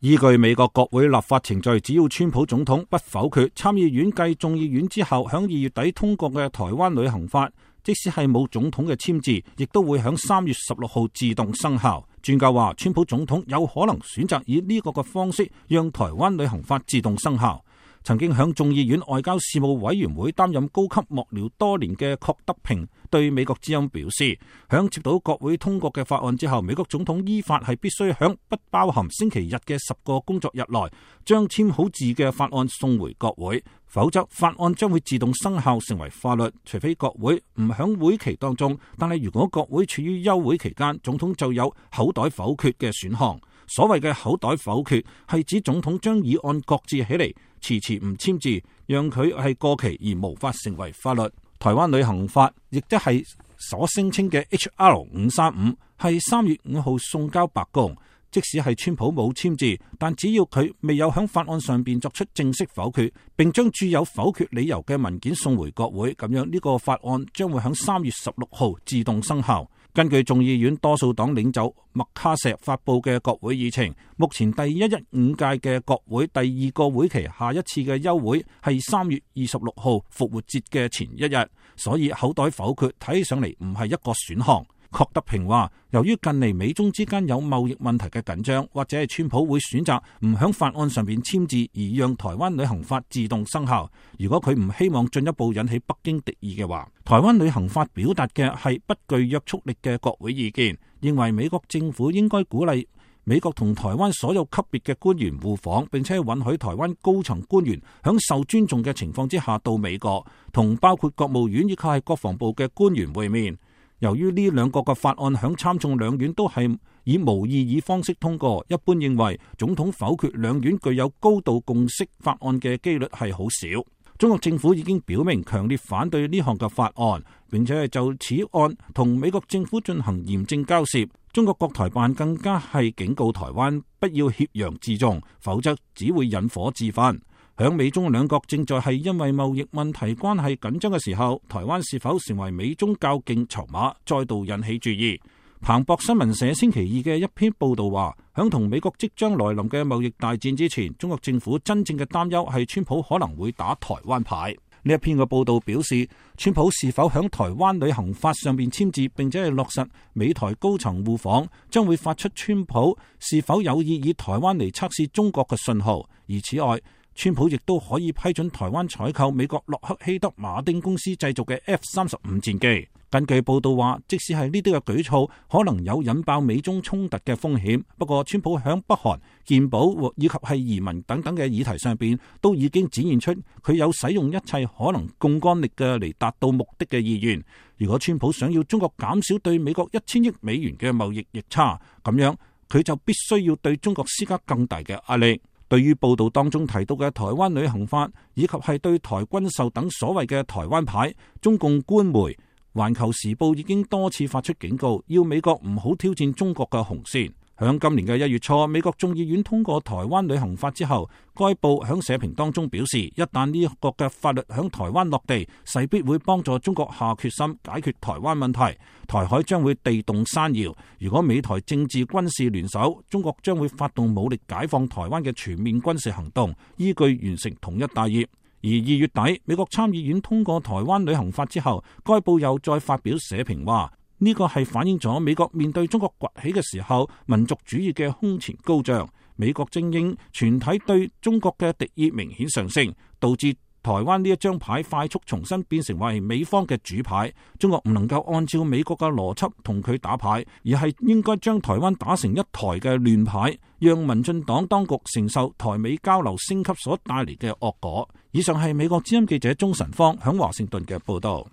依據美國國會立法程序，只要川普總統不否決參議院繼眾議院之後響2月底通過嘅台灣旅行法，即使係冇總統嘅簽字，亦都會響3月16號自動生效。專家話，川普總統有可能選擇以呢個嘅方式，讓台灣旅行法自動生效。曾經響眾議院外交事務委員會擔任高級幕僚多年嘅郝德平對美國之音表示，響接到國會通過嘅法案之後，美國總統依法係必須響不包含星期日嘅10個工作日內，將簽好字嘅法案送回國會，否則法案將會自動生效成為法律，除非國會唔響會期當中。但係如果國會處於休會期間，總統就有口袋否決嘅選項。所謂嘅口袋否決係指總統將議案擱置起嚟，遲遲唔簽字，讓佢係過期而無法成為法律。台灣旅行法亦即係所聲稱嘅 HR 535，係3月5號送交白宮。即使係川普冇簽字，但只要佢未有響法案上邊作出正式否決，並將注有否決理由嘅文件送回國會，咁樣呢個法案將會響3月16號自動生效。根據眾議院多數黨領袖麥卡錫發佈嘅國會議程，目前第115屆嘅國會第2個會期下一次嘅休會係3月26號復活節嘅前一日，所以口袋否決睇起上嚟唔係一個選項。郝德平話，由於近嚟美中之間有貿易問題嘅緊張，或者係川普會選擇唔響法案上邊簽字，而讓台灣旅行法自動生效。如果佢唔希望進一步引起北京敵意嘅話，台灣旅行法表達嘅係不具約束力嘅國會意見，認為美國政府應該鼓勵美國同台灣所有級別嘅官員互訪，並且允許台灣高層官員響受尊重嘅情況之下到美國，同包括國務院以及係國防部嘅官員會面。由於呢兩個嘅法案響參眾兩院都係以無異議方式通過，一般認為總統否決兩院具有高度共識法案嘅機率係好少。中國政府已經表明強烈反對呢項嘅法案，並且係就此案同美國政府進行嚴正交涉。中國國台辦更加係警告台灣不要挾洋自重，否則只會引火自焚。響美中兩國正在係因為貿易問題關係緊張嘅時候，台灣是否成為美中較勁籌碼，再度引起注意。彭博新聞社星期二嘅一篇報道話，響同美國即將來臨嘅貿易大戰之前，中國政府真正嘅擔憂係川普可能會打台灣牌。呢一篇嘅報道表示，川普是否響台灣旅行法上邊簽字，並且係落實美台高層互訪，將會發出川普是否有意以台灣嚟測試中國嘅信號。而此外，川普亦都可以批准台灣採購美國洛克希德馬丁公司製造嘅 F-35戰機。根據報道話，即使係呢啲嘅舉措，可能有引爆美中衝突嘅風險。不過，川普響北韓、健保以及係移民等等嘅議題上邊，都已經展現出佢有使用一切可能槓桿力嘅嚟達到目的嘅意願。如果川普想要中國減少對美國1000億美元嘅貿易逆差，咁樣佢就必須要對中國施加更大嘅壓力。對於報道當中提到嘅台灣旅行法，以及係對台軍售等所謂嘅台灣牌，中共官媒《環球時報》已經多次發出警告，要美國唔好挑戰中國嘅紅線。響今年嘅1月初，美國眾議院通過台灣旅行法之後，該報響社評當中表示，一旦呢一個嘅法律響台灣落地，勢必會幫助中國下決心解決台灣問題，台海將會地動山搖。如果美台政治軍事聯手，中國將會發動武力解放台灣嘅全面軍事行動，依據完成統一大業。而2月底，美國參議院通過台灣旅行法之後，該報又再發表社評話，呢個係反映咗美國面對中國崛起嘅時候，民族主義嘅空前高漲，美國精英全體對中國嘅敵意明顯上升，導致台灣呢一張牌快速重新變成為美方嘅主牌。中國唔能夠按照美國嘅邏輯同佢打牌，而係應該將台灣打成一台嘅亂牌，讓民進黨當局承受台美交流升級所帶嚟嘅惡果。以上係美國之音記者鍾晨芳響華盛頓嘅報道。